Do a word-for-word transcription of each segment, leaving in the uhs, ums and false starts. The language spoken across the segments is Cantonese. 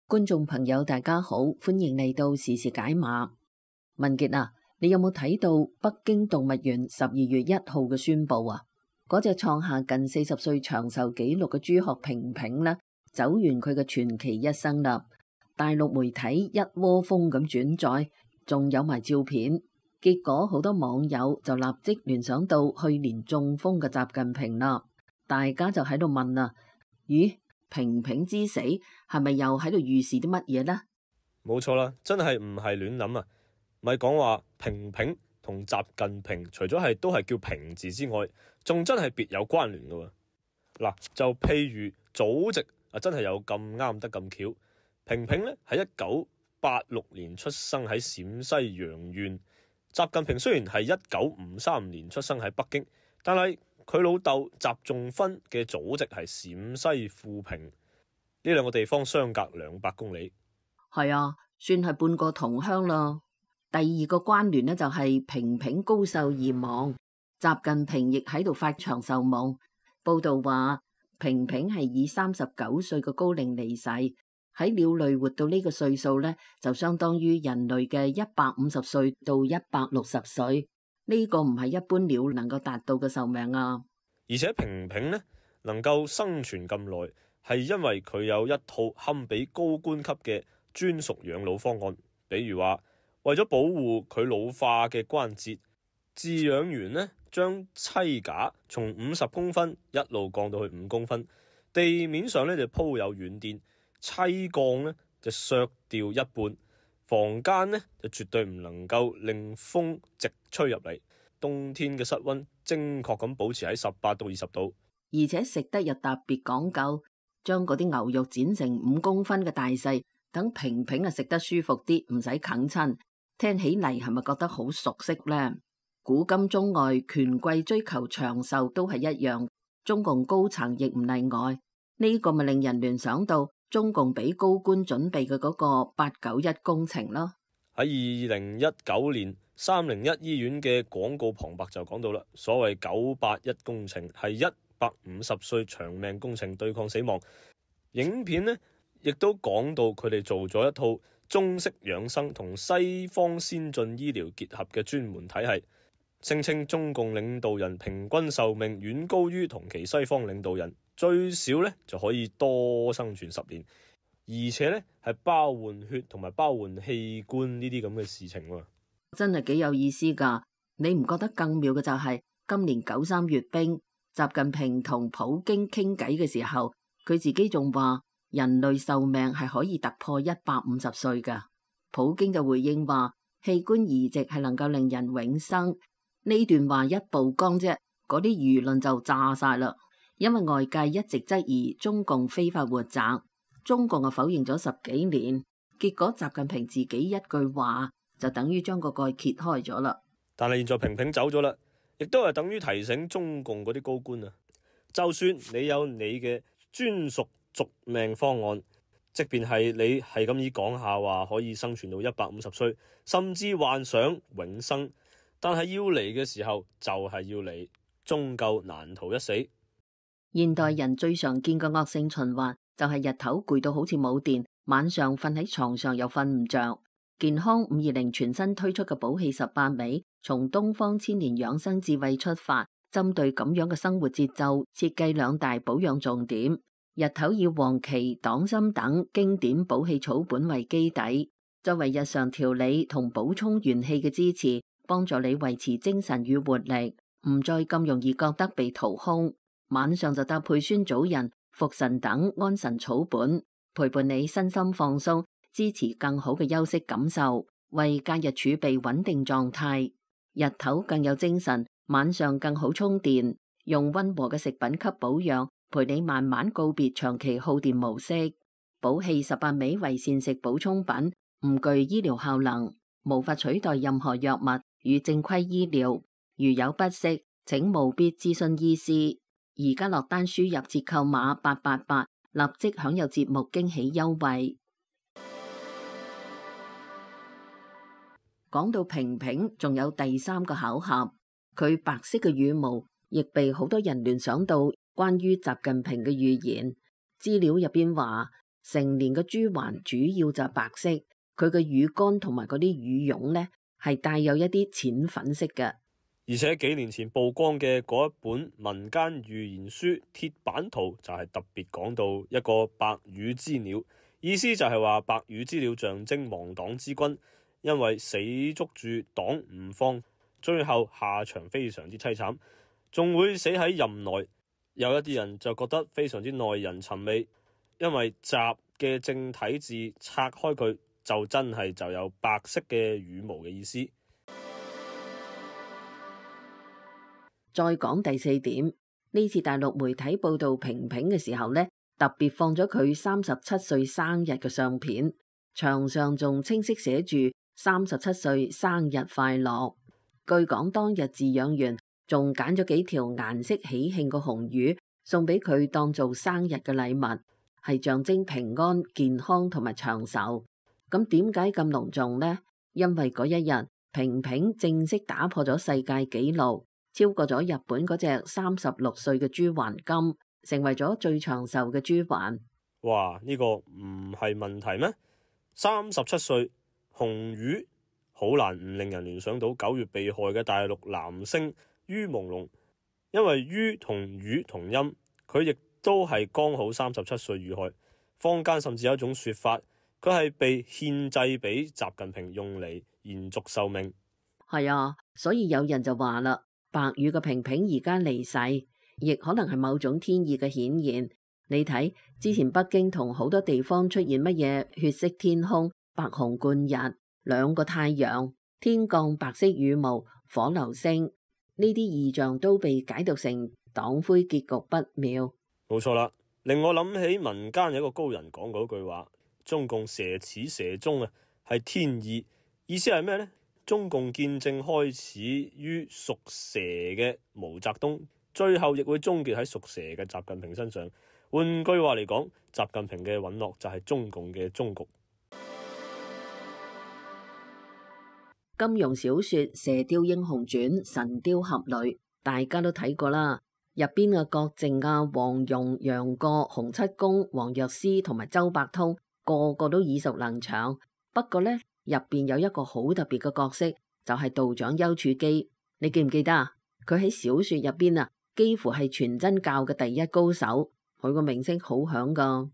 觀眾朋友大家好，歡迎嚟到時事解碼。文傑啊，你有冇睇到北京動物園十二月一號嘅宣布啊？嗰隻創下近四十歲長壽紀錄嘅朱鶴平平呢，走完佢嘅傳奇一生啦。大陸媒體一窩蜂咁轉載，仲有埋照片。結果好多網友就立即聯想到去年中風嘅習近平啦。大家就喺度問啦，咦？平平之死係咪又喺度預示啲乜嘢呢？冇錯啦，真係唔係亂諗啊！咪講話平平同習近平，除咗係都係叫平字之外，仲真係別有關聯噶喎。嗱，就譬如祖籍啊，真係有咁啱得咁巧。平平咧喺一九八六年出生喺陝西陽縣，習近平雖然係一九五三年出生喺北京，但係佢老豆習仲勳嘅祖籍係陝西富平，呢兩個地方相隔兩百公里。係啊，算係半個同鄉啦。第二個關聯呢，就係平平高壽而亡，習近平亦喺度發長壽夢。報道話平平係以三十九歲嘅高齡離世，喺鳥類活到呢個歲數呢，就相當於人類嘅一百五十歲到一百六十歲。呢個唔係一般鳥能夠達到嘅壽命啊！而且平平呢能夠生存咁耐，係因為佢有一套堪比高官級嘅專屬養老方案。比如話，為咗保護佢老化嘅關節，飼養員呢將棲架從五十公分一路降到去五公分，地面上呢就鋪有軟墊，棲降呢就削掉一半。房間呢就絕對唔能夠令風直吹入嚟，冬天嘅室溫精確咁保持喺十八到二十度，而且食得又特別講究，將嗰啲牛肉剪成五公分嘅大細，等平平啊食得舒服啲，唔使啃親。聽起嚟係咪覺得好熟悉呢？古今中外，權貴追求長壽都係一樣，中共高層亦唔例外。呢個咪令人聯想到中共俾高官準備嘅嗰個八九一工程咯。喺二零一九年三零一醫院嘅廣告旁白就講到啦，所謂九八一工程係一百五十歲長命工程，對抗死亡。影片呢亦都講到佢哋做咗一套中式養生同西方先進醫療結合嘅專門體系，聲稱中共領導人平均壽命遠高於同期西方領導人，最少呢就可以多生存十年，而且呢係包換血同埋包換器官呢啲咁嘅事情喎。真係幾有意思噶。你唔覺得更妙嘅就係今年九三閱兵，習近平同普京傾偈嘅時候，佢自己仲話人類壽命係可以突破一百五十歲噶。普京就回應話器官移植係能夠令人永生。呢段話一曝光啫，嗰啲輿論就炸晒啦。因為外界一直質疑中共非法活摘，中共啊否認咗十幾年，結果習近平自己一句話就等於將個蓋揭開咗啦。但係現在平平走咗啦，亦都係等於提醒中共嗰啲高官啊，就算你有你嘅專屬續命方案，即便係你係咁以講下話可以生存到一百五十歲，甚至幻想永生，但係要嚟嘅時候就係要嚟，終究難逃一死。現代人最常見嘅惡性循環就係日頭攰到好似冇電，晚上瞓喺床上又瞓唔着。健康五二零全新推出嘅補氣十八味，從東方千年養生智慧出發，針對咁樣嘅生活節奏，設計兩大保養重點。日頭以黃芪、黨參等經典補氣草本為基底，作為日常調理同補充元氣嘅支持，幫助你維持精神與活力，唔再咁容易覺得被掏空。晚上就搭配酸棗仁、茯神等安神草本，陪伴你身心放鬆，支持更好嘅休息感受，為假日儲備穩定狀態。日頭更有精神，晚上更好充電。用溫和嘅食品給保養，陪你慢慢告別長期耗電模式。補氣十八味為膳食補充品，唔具醫療效能，無法取代任何藥物與正規醫療。如有不適，請務必諮詢醫師。而家落單輸入折扣碼八八八，立即享有節目驚喜優惠。講到平平，仲有第三個巧合，佢白色嘅羽毛亦被好多人聯想到關於習近平嘅預言。資料入邊話，成年嘅豬環主要就係白色，佢嘅乳乾同埋嗰啲乳絨呢係帶有一啲淺粉色嘅。而且幾年前曝光嘅嗰一本民間預言書鐵板圖就係特別講到一個白羽之鳥，意思就係話白羽之鳥象徵亡黨之君，因為死捉住黨唔放，最後下場非常之淒慘，仲會死喺任內。有一啲人就覺得非常之耐人尋味，因為習嘅正體字拆開佢就真係就有白色嘅羽毛嘅意思。再講第四點，呢次大陸媒體報道平平嘅時候呢，特別放咗佢三十七歲生日嘅相片，牆上仲清晰寫住三十七歲生日快樂。據講當日飼養員仲揀咗幾條顏色喜慶嘅紅魚送俾佢當做生日嘅禮物，係象徵平安、健康同埋長壽。咁點解咁隆重呢？因為嗰一日平平正式打破咗世界紀錄，超過咗日本嗰隻三十六歲嘅豬環金，成為咗最長壽嘅豬環。哇！呢個唔係問題咩？三十七歲紅魚好難唔令人聯想到九月被害嘅大陸男星于朦朧，因為于同魚同音，佢亦都係剛好三十七歲遇害。坊間甚至有一種說法，佢係被獻祭俾習近平用嚟延續壽命。係啊，所以有人就話啦，白羽嘅平平而家離世，亦可能係某種天意嘅顯現。你睇之前北京同好多地方出現乜嘢血色天空、白虹貫日、兩個太陽、天降白色羽毛、火流星，呢啲異象都被解讀成黨魁結局不妙。冇錯啦，令我諗起民間有一個高人講嗰句話：中共蛇始蛇終啊，係天意。意思係咩呢？中共建政開始於屬蛇嘅毛澤東，最後亦會終結喺屬蛇嘅習近平身上。換句話嚟講，習近平嘅隕落就係中共嘅終局。金庸小說《射雕英雄傳》神雕俠侶，大家都睇過啦。入邊嘅郭靖啊、黃蓉、楊過、洪七公、黃藥師同埋周伯通，個個都耳熟能詳。不過呢，入邊有一個好特別嘅角色，就係道長丘處機。你記唔記得啊？佢喺小說入邊啊，幾乎係全真教嘅第一高手。佢個名聲好響噶。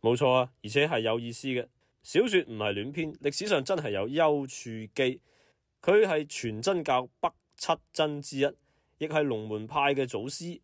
冇錯啊，而且係有意思嘅。小說唔係亂編，歷史上真係有丘處機，佢係全真教北七真之一，亦係龍門派嘅祖師。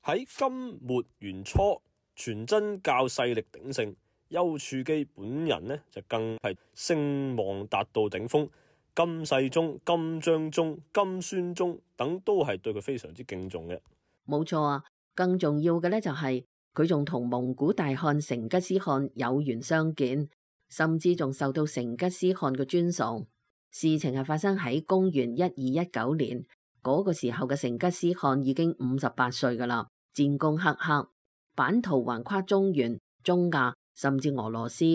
喺金末元初，全真教勢力鼎盛，丘處機本人呢就更係聲望達到頂峰。金世宗、金章宗、金宣宗等都係對佢非常之敬重嘅。冇錯啊，更重要嘅呢就係、是。佢仲同蒙古大汗成吉思汗有緣相見，甚至仲受到成吉思汗嘅尊崇。事情係發生喺公元一二一九年，嗰、那個時候嘅成吉思汗已經五十八歲噶啦，戰功赫赫，版圖橫跨中原、中亞甚至俄羅斯。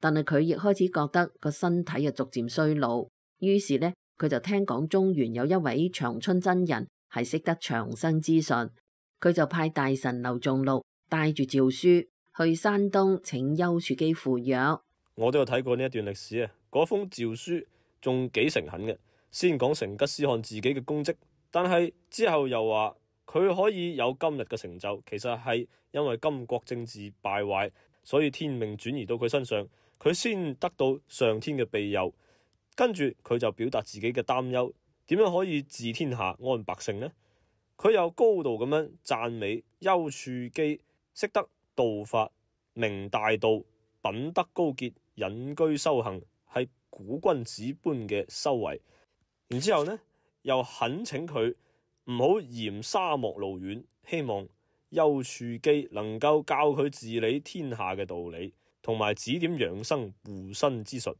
但係佢亦開始覺得個身體啊逐漸衰老，於是呢，佢就聽講中原有一位長春真人係識得長生之術，佢就派大臣劉仲禄帶住詔書去山東請丘處機赴約。我都有睇過呢一段歷史啊，嗰封詔書仲幾誠懇嘅，先講成吉思汗自己嘅功績，但係之後又話佢可以有今日嘅成就，其實係因為金國政治敗壞，所以天命轉移到佢身上，佢先得到上天嘅庇佑。跟住佢就表達自己嘅擔憂，點樣可以治天下安百姓呢？佢又高度咁樣讚美丘處機識得道法，明大道，品德高潔，隱居修行，係古君子般嘅修為。然之後呢，又懇請佢唔好嫌沙漠路遠，希望丘處機能夠教佢治理天下嘅道理，同埋指點養生護身之術。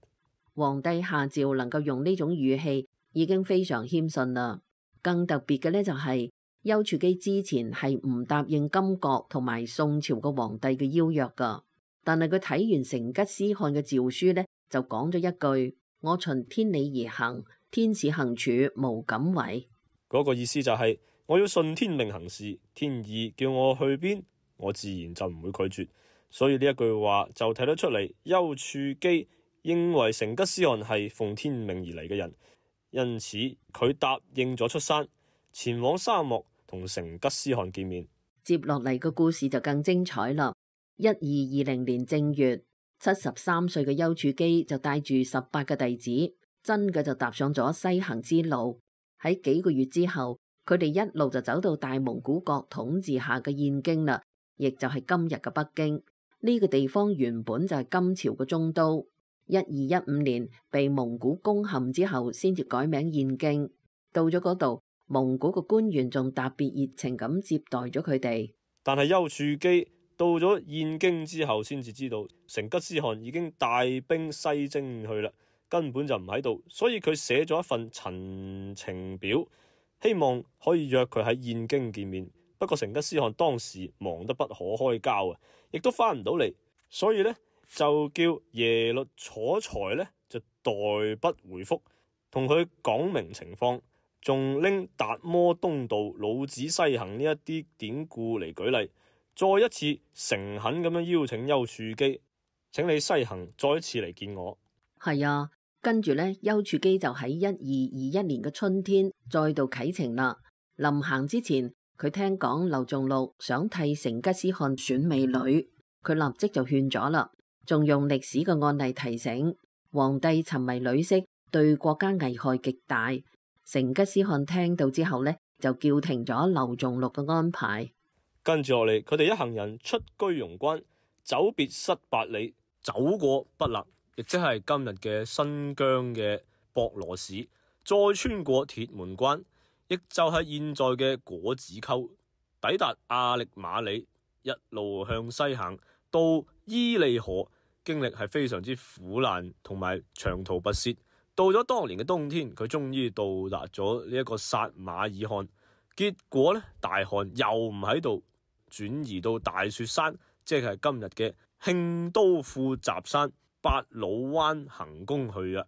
皇帝下詔能夠用呢種語氣，已經非常謙遜啦。更特別嘅呢，就係、是。丘處機之前係唔答應金國同埋宋朝個皇帝嘅邀約噶，但係佢睇完成吉思汗嘅詔書呢，就講咗一句：我循天理而行，天使行處無敢違。嗰個意思就係、是、我要順天命行事，天意叫我去邊，我自然就唔會拒絕。所以呢一句話就睇得出嚟，丘處機認為成吉思汗係奉天命而嚟嘅人，因此佢答應咗出山，前往沙漠同成吉思汗見面。接落嚟個故事就更精彩啦！一二二零年正月，七十三歲嘅丘處機就帶住十八個弟子，真嘅就踏上咗西行之路。喺幾個月之後，佢哋一路就走到大蒙古國統治下嘅燕京啦，亦就係今日嘅北京。呢個地方原本就係金朝嘅中都，一二一五年被蒙古攻陷之後，先至改名燕京。到咗嗰度，蒙古嘅官員仲特別熱情咁接待咗佢哋。但係丘處機到咗燕京之後，先至知道成吉思汗已經帶兵西征去啦，根本就唔喺度，所以佢寫咗一份陳情表，希望可以約佢喺燕京見面。不過成吉思汗當時忙得不可開交啊，亦都翻唔到嚟，所以呢，就叫耶律楚材呢就代筆回覆，同佢講明情況，仲拎達摩東道、老子西行呢一啲典故嚟舉例，再一次誠懇咁樣邀請丘處機，請你西行再一次嚟見我。係啊，跟住呢，丘處機就喺一二二一年嘅春天再度啟程啦。臨行之前，佢聽講劉仲祿想替成吉思汗選美女，佢立即就勸咗啦，仲用歷史嘅案例提醒皇帝沉迷女色對國家危害極大。成吉思汗聽到之後呢，就叫停咗劉仲祿嘅安排。跟住落嚟，佢哋一行人出居庸關，走別失八里，走過不勒，亦即係今日嘅新疆嘅博羅市，再穿過鐵門關，亦就係現在嘅果子溝，抵達阿力馬里，一路向西行到伊利河，經歷係非常之苦難同埋長途跋涉。到咗當年嘅冬天，佢終於到達咗呢一個撒馬爾罕。結果呢，大汗又唔喺度，轉移到大雪山，即係今日嘅慶都庫什山八老灣行宮去啊。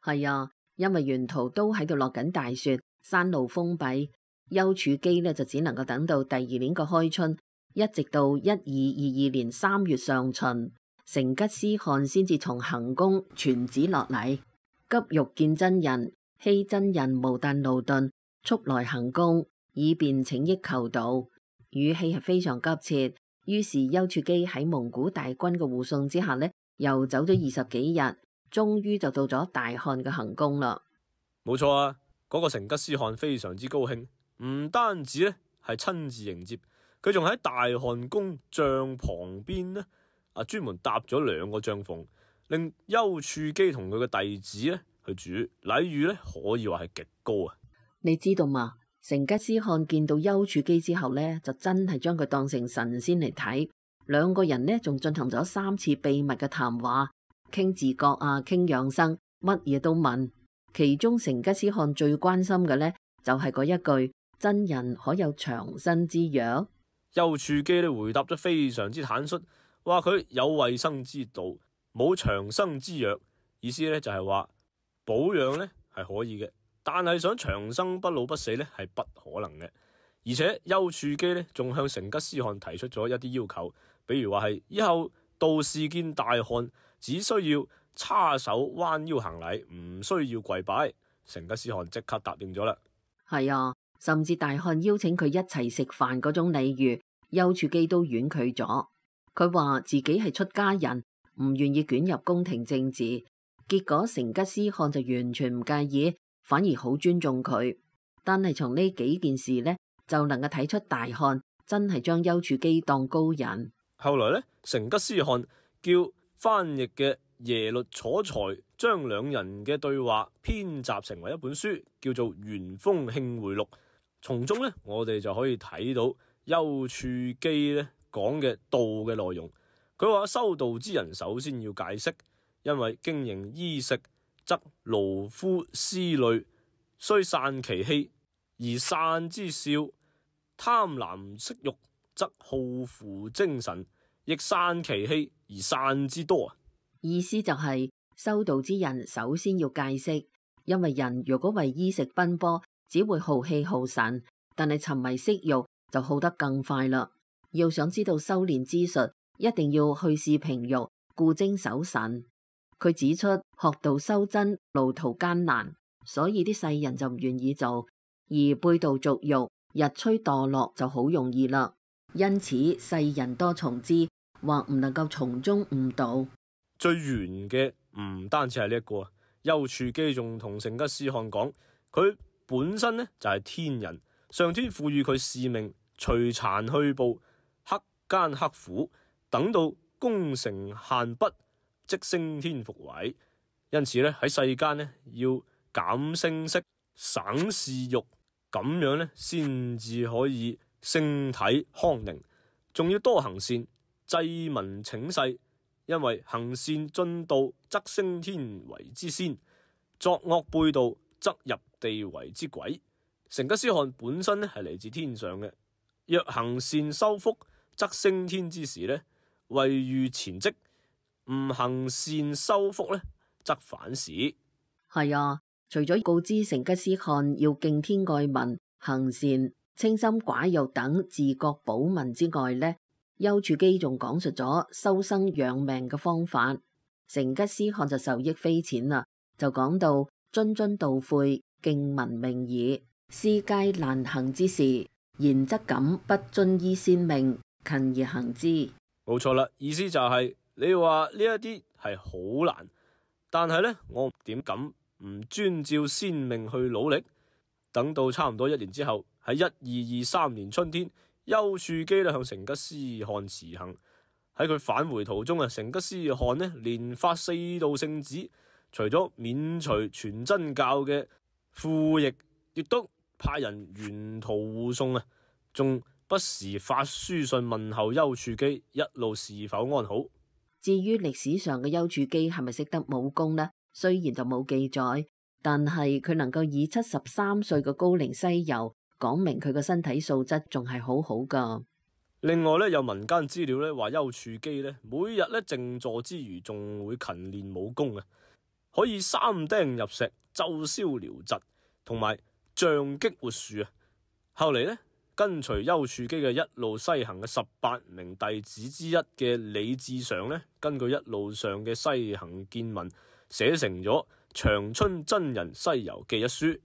係啊，因為沿途都喺度落緊大雪，山路封閉，丘處機呢就只能夠等到第二年嘅開春，一直到一二二二年三月上旬，成吉思汗先至從行宮傳旨落嚟，急欲見真人，希真人無但勞頓，速來行宮，以便請益求道。語氣係非常急切。於是丘處機喺蒙古大軍嘅護送之下呢，又走咗二十幾日，終於就到咗大汗嘅行宮啦。冇錯啊，嗰、那個成吉思汗非常之高興，唔單止呢係親自迎接，佢仲喺大汗宮帳旁邊呢啊專門搭咗兩個帳篷，令丘處機同佢嘅弟子呢去住，禮遇呢可以話係極高啊。你知道嘛？成吉思汗見到丘處機之後呢，就真係將佢當成神仙嚟睇。兩個人呢，仲進行咗三次秘密嘅談話，傾自覺啊，傾養生，乜嘢都問。其中成吉思汗最關心嘅呢，就係、是、嗰一句：真人可有長生之藥？丘處機呢回答得非常之坦率，話佢有衛生之道，冇長生之藥。意思呢就係話保養呢係可以嘅。但係想長生不老不死呢係不可能嘅，而且丘處機呢仲向成吉思汗提出咗一啲要求，比如話係以後道士見大汗只需要叉手彎腰行禮，唔需要跪拜。成吉思汗即刻答應咗啦。係啊，甚至大汗邀請佢一齊食飯嗰種禮遇，丘處機都婉拒咗。佢話自己係出家人，唔願意捲入宮廷政治。結果成吉思汗就完全唔介意，反而好尊重佢。但係從呢幾件事呢，就能夠睇出大汗真係將丘處機當高人。後來呢，成吉思汗叫翻譯嘅耶律楚材將兩人嘅對話編集成為一本書，叫做《元豐慶會錄》。從中呢，我哋就可以睇到丘處機呢講嘅道嘅內容。佢話修道之人首先要戒色，因為經營衣食則勞夫思慮，雖散其氣而散之少；貪婪色欲則耗負精神，亦散其氣而散之多。意思就係、是、修道之人首先要戒色，因為人如果為衣食奔波，只會耗氣耗神，但係沉迷色欲就好得更快啦。要想知道修煉之術，一定要去視平欲，固精守神。佢指出學道修真路途艱難，所以啲世人就唔願意做，而背道俗欲、日趨墮落就好容易啦。因此世人多從之，或唔能夠從中悟道。最玄嘅唔單止係呢一個，丘處機仲同成吉思汗講，佢本身呢就係天人，上天賦予佢使命，隨殘去暴，克艱克苦，等到功成限畢，即升天復位。因此咧喺世間咧要減聲色，省嗜欲，咁樣咧先至可以星體康寧，仲要多行善，濟民請世。因為行善進道則升天為之仙，作惡背道則入地為之鬼。成吉思汗本身咧係嚟自天上嘅，若行善修福則升天之時咧，位遇前職；唔行善修福咧，則反時。係啊，除咗告知成吉思汗要敬天愛民、行善、清心寡欲等治國保民之外呢，丘處機仲講述咗修生養命嘅方法。成吉思汗就受益匪淺啦，就講到諄諄道誨，敬民命矣。斯皆難行之事，然則敢不遵依先命，勤而行之。冇錯啦，意思就係、是、你話呢一啲係好難，但係呢，我點敢唔遵照先命去努力？等到差唔多一年之後，喺一二二三年春天，丘處機咧向成吉思汗辭行。喺佢返回途中啊，成吉思汗呢連發四道聖旨，除咗免除全真教嘅附役，亦都派人沿途護送啊，仲不時發書信問候丘處機一路是否安好。至於歷史上嘅丘處機係咪識得武功呢？雖然就冇記載，但係佢能夠以七十三歲嘅高齡西遊，講明佢個身體素質仲係好好噶。另外咧，有民間資料咧話丘處機咧每日咧靜坐之餘，仲會勤練武功啊，可以三釘入石、奏簫療疾，同埋杖擊活樹啊。後嚟咧，跟隨丘處機嘅一路西行嘅十八名弟子之一嘅李志常咧，根據一路上嘅西行見聞，寫成咗《長春真人西遊記》一書。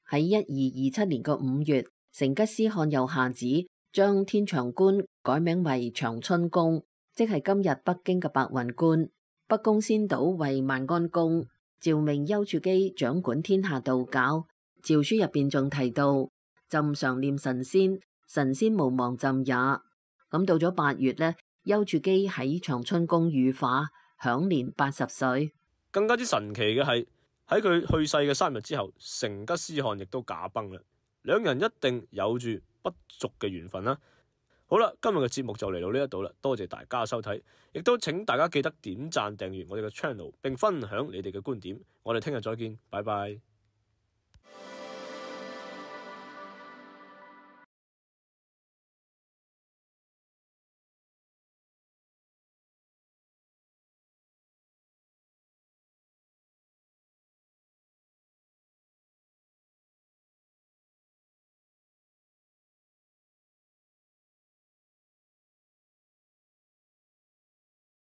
喺一二二七年嘅五月，成吉思汗又下旨將天長觀改名為長春宮，即係今日北京嘅白雲觀。北宮先島為萬安宮，詔命丘處機掌管天下道教。詔書入邊仲提到朕常念神仙，神仙無忘朕也。咁到咗八月呢，丘處機喺長春宮羽化，享年八十歲。更加之神奇嘅係喺佢去世嘅三日之後，成吉思汗亦都駕崩啦。兩人一定有住不俗嘅緣分啦。好啦，今日嘅節目就嚟到呢一度啦，多謝大家收睇，亦都請大家記得點讚訂閱我哋嘅 channel，並分享你哋嘅觀點。我哋聽日再見，拜拜。